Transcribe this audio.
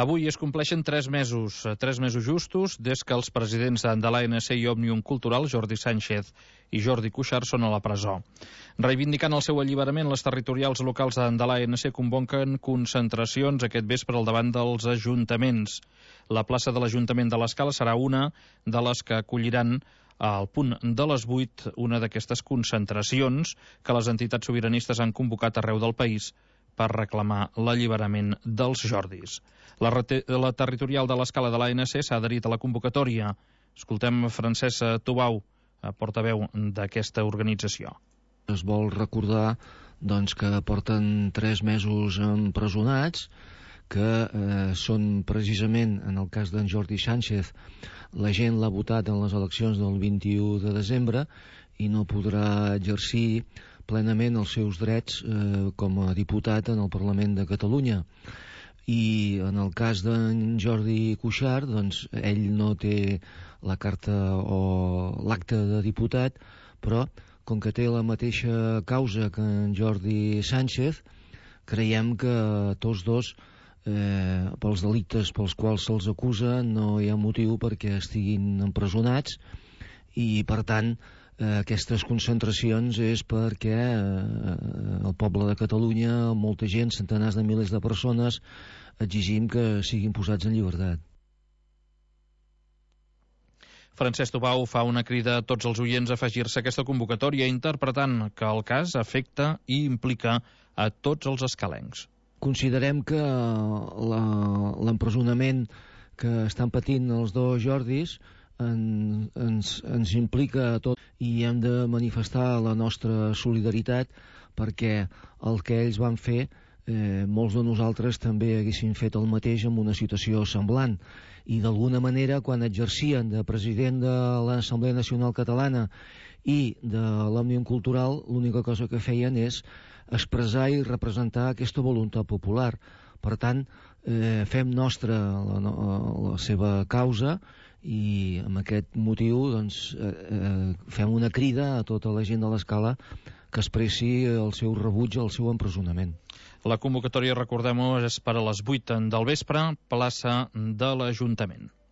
Avui es compleixen 3 mesos justos des que els presidents de l'ANC i Òmnium Cultural, Jordi Sànchez i Jordi Cuixart, són a la presó. Reivindicant el seu alliberament, les territorials locals de l'ANC convoquen concentracions aquest vespre al davant dels ajuntaments. La plaça de l'Ajuntament de l'Escala serà una de les que acolliran al punt de les 8 una d'aquestes concentracions que les entitats sobiranistes han convocat arreu del país per reclamar l'alliberament dels Jordis. La territorial de l'Escala de l'ANC s'ha adherit a la convocatòria. Escoltem Francesc Tubau, portaveu d'aquesta organització. Es vol recordar que porten 3 mesos empresonats, que són precisament, en el cas d'en Jordi Sánchez, la gent l'ha votat en les eleccions del 21 de desembre i no podrà exercir plenament els seus drets com a diputat en el Parlament de Catalunya. I en el cas d'en Jordi Cuixart, ell no té la carta o l'acte de diputat, però com que té la mateixa causa que en Jordi Sánchez, creiem que tots dos, pels delictes pels quals se'ls acusa, no hi ha motiu perquè estiguin empresonats, i per tant aquestes concentracions és perquè el poble de Catalunya, molta gent, centenars de milers de persones, exigim que siguin posats en llibertat. Francesc Tubau fa una crida a tots els oients a afegir-se a aquesta convocatòria, interpretant que el cas afecta i implica a tots els escalencs. Considerem que l'empresonament que estan patint els dos Jordis ens implica a tot i hem de manifestar la nostra solidaritat, perquè el que ells van fer molts de nosaltres també haguéssim fet el mateix en una situació semblant, i d'alguna manera quan exercien de president de l'Assemblea Nacional Catalana i de l'Òmnium Cultural, l'única cosa que feien és expressar i representar aquesta voluntat popular. Per tant, fem nostra la seva causa i amb aquest motiu fem una crida a tota la gent de l'Escala que expressi el seu rebuig al seu empresonament. La convocatòria, recordem-ho, és per a les 8 del vespre, plaça de l'Ajuntament.